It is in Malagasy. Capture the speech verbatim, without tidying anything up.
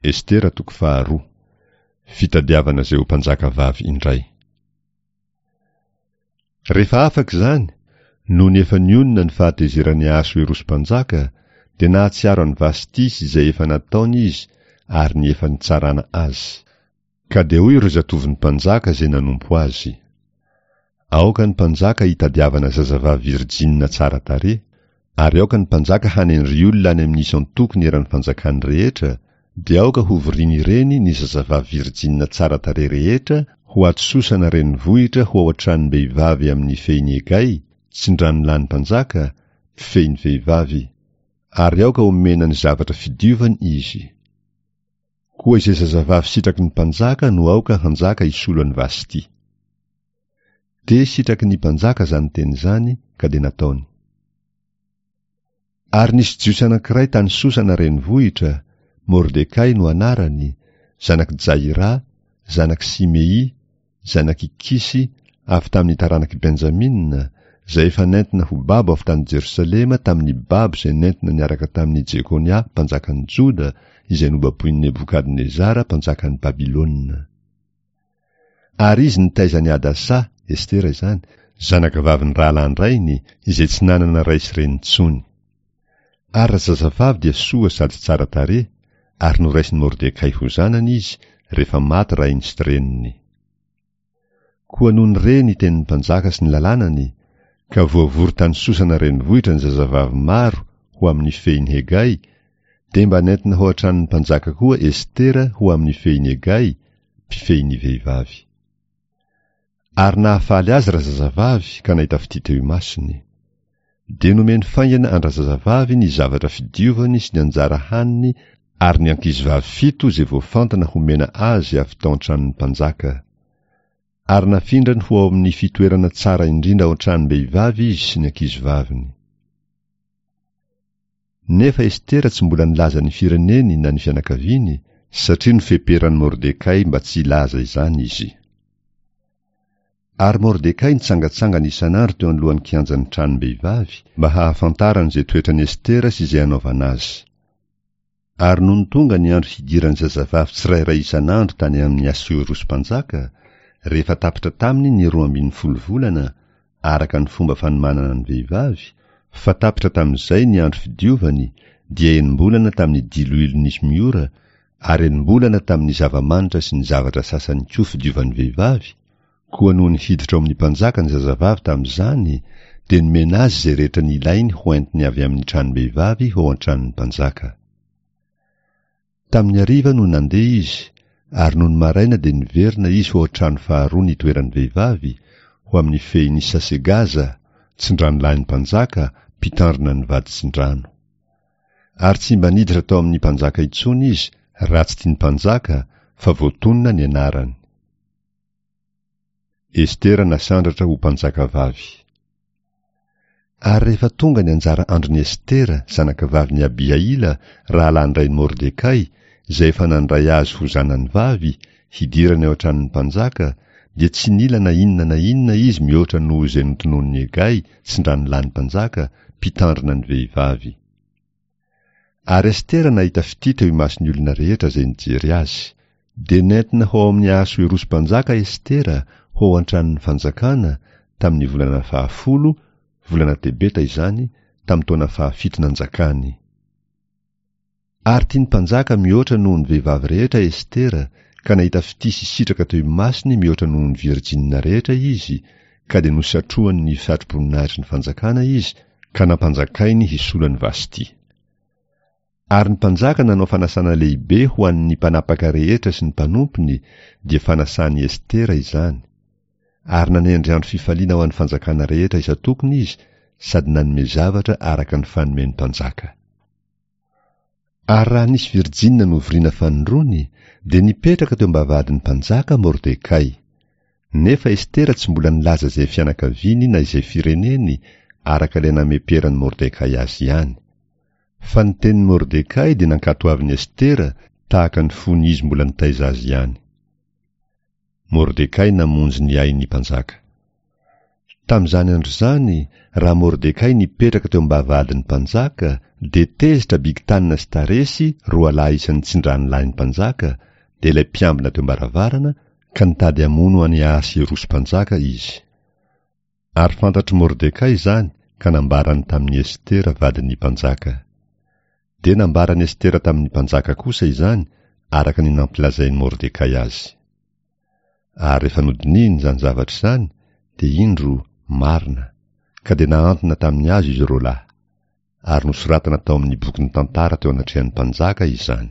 Estera toko faharoa. Fitadiavana izay ho mpanjaka vavy indray. Rehefa afaka izany, nony efa nionona ny fahatezeran'i Ahasoerosy mpanjaka, dia nahatsiaro an'i Vasty sy izay efa nataony izy ary ny efa nitsarana azy. Ka dia hoy ireo zatovon'ny mpanjaka izay nanompo azy: Aoka ny mpanjaka hitadiavana zazavavy virjinina tsara tarehy, ary aoka ny mpanjaka hanendry olona any amin'ny isan-tokony eran'ny fanjakany rehetra, dia aoka hovorian'ireny ny zazavavy virjinina tsara tarehy rehetra ho ato Sosana renivohitra ho ao an-tranom-behivavy amin'ny fehin'i Egay, tsindranolany mpanjaka, mpifehy ny vehivavy. Ary aoka homena ny zavatra fidiovany izy. Koa izay zazavavy sitraky ny mpanjaka no aoka hanjaka hisolo an'i Vasty. Dia sitraky ny mpanjaka izany teny izany, ka dia nataony. Ary nisy Jiosy anankiray tany Sosana renivohitra, Mordekay no anarany, zanak'i Jaira, zanak'i Simei, zanak'i Kisy, avy tamin'ny taranak'i Benjamina, izay efa nentina ho babo avy tany Jerosalema tamin'ny babo izay nentina niaraka tamin'i Jekonia mpanjakan'i Joda, izay nobaboin'i Nebokadnezara mpanjakan'i Babylona. Ary izy nitaiza an'i Hadasa, Estera izany, zanakavavin'ny rahalahin-drainy, izay tsy nanana ray sy reny intsony. Ary razazavavy dia soa sady tsara tarehy, ary noraisin'i Mordekay ho zanany izy, rehefa maty rainy sy reniny. Koa nony re ny tenin'ny mpanjaka sy ny lalànany, ka voavory tany Sosana renivohitra ny zazavavy maro ho amin'ny fehin'i Hegay, dia mba nentina ho an-tranon'ny mpanjaka koa Estera ho amin'ny fehin'i Hegay, mpifehy ny vehivavy. Ary nahafaly azy razazavavy ka nahita fitia teo imasony. Dia nomeny faingana an-drazazavavy ny zavatra fidiovany sy ny anjara haniny ary ny ankizivavy fito izay voafantana homena azy avy tao an-tranon'ny mpanjaka. Ary nafindrany ho ao amin'ny fitoerana tsara indrindra ao an-tranom-behivavy izy sy ny ankizivaviny. Nefa Estera tsy mbola nilaza ny fireneny na ny fianakaviany, satria nofeperan'i Mordekay mba tsy hilaza izany izy. Ary Mordekay nitsangatsangana isan'andro teo anoloan'ny kianjan'ny tranom-behivavy mba hahafantarany izay toetran'i Estera sy izay anaovana azy. Ary nony tonga ny andro hidiran'ny zazavavy tsirairay isan'andro tany amin'i Asoerosy mpanjaka, rehefa tapitra taminy ny roa ambin'ny folo volana, araka ny fomba fanomanana ny vehivavy, fa tapitra tamin'izay ny andro fidiovany, dia enim-bolana tamin'ny diloilo nisy miora, ary enim-bolana tamin'ny zava-manitra sy ny zavatra sasany koa fidiovan'ny vehivavy, koa nony hiditra ao amin'ny mpanjaka ny zazavavy tamin'izany, dia nomena azy izay rehetra nilainy hoentiny avy amin'ny tranom-behivavy ho ao an-tranon'ny mpanjaka. Tamin'ny hariva no nandeha izy, ary nony maraina dia niverina izy ho ao an-trano faharoa nitoeran'ny vehivavy, ho amin'ny fehin'i Sasegaza, tsindranolahin'ny mpanjaka, mpitandrina ny vaditsindrano. Ary tsy mba niditra tao amin'ny mpanjaka intsony izy, raha tsy tian'ny mpanjaka, fa voatonona ny anarany. Estera nasandratra ho mpanjakavavy. Ary rehefa tonga ny anjara andron'i Estera, zanakavavin'i Abihaila, rahalahin-drain'i Mordekay, izay efa nandray azy ho zanany vavy, hidirany ao an-tranon'ny mpanjaka, dia tsy nila na inona na inona izy mihoatra noho izay notononin'i Hegay, tsindranolany mpanjaka, mpitandrina ny vehivavy. Ary Estera nahita fitia teo imason'ny olona rehetra izay nijery azy. Dia nentina ho ao amin'i Ahasoerosy mpanjaka Estera, ho ao an-tranon'ny fanjakana, tamin'ny volana fahafolo, volana Tebeta izany, tamin'ny taona fahafito nanjakany. Ary tian'ny mpanjaka mihoatra noho ny vehivavy rehetra Estera, ka nahita fitia sy sitraka teo imasony mihoatra noho ny virjinina rehetra izy, ka dia nosatrohany ny satroboninahitry ny fanjakana izy, ka nampanjakainy hisolo an'i Vasty. Ary ny mpanjaka nanao fanasana lehibe ho an'ny mpanapaka rehetra sy ny mpanompony, dia fanasan'i Estera izany. Ary nanendry andro fifaliana ho an'ny fanjakana rehetra isan-tokony izy, sady nanome zavatra araka ny fanomen'ny mpanjaka. Ary raha nisy virjinina novoriana fanindroany, dia nipetraka teo am-bavahadin'ny mpanjaka Mordekay. Nefa Estera tsy mbola nilaza izay fianakaviany na izay fireneny, araka ilay nameperan'i Mordekay azy ihany. Fa ny tenin'i Mordekay dia nankatoavin'i Estera tahaka ny fony izy mbola nitaiza azy ihany. Mordekay namonjy ny ain'ny mpanjaka. Tamin'izany andro izany, raha Mordekay nipetraka teo am-bavahadin'ny mpanjaka, dia tezitra Bigtana sy Taresy, roa lahy isan'ny tsindranolahin'ny mpanjaka, dia ilay mpiambina teo am-baravarana, ka nitady hamono an'i Ahasierosy mpanjaka izy. Ary fantatr'i Mordekay izany ka nambarany tamin'i Estera vadin'ny mpanjaka. Dia nambaran'i Estera tamin'ny mpanjaka kosa izany araka ny nampilazain'i Mordekay azy. Ary rehefa nodinihiny izany zavatra izany, dia indro, marina, ka dia nahantona tamin'ny hazo izy roa lahy. Ary nosoratana tao amin'ny bokin'ny tantara teo anatrehan'ny mpanjaka izany.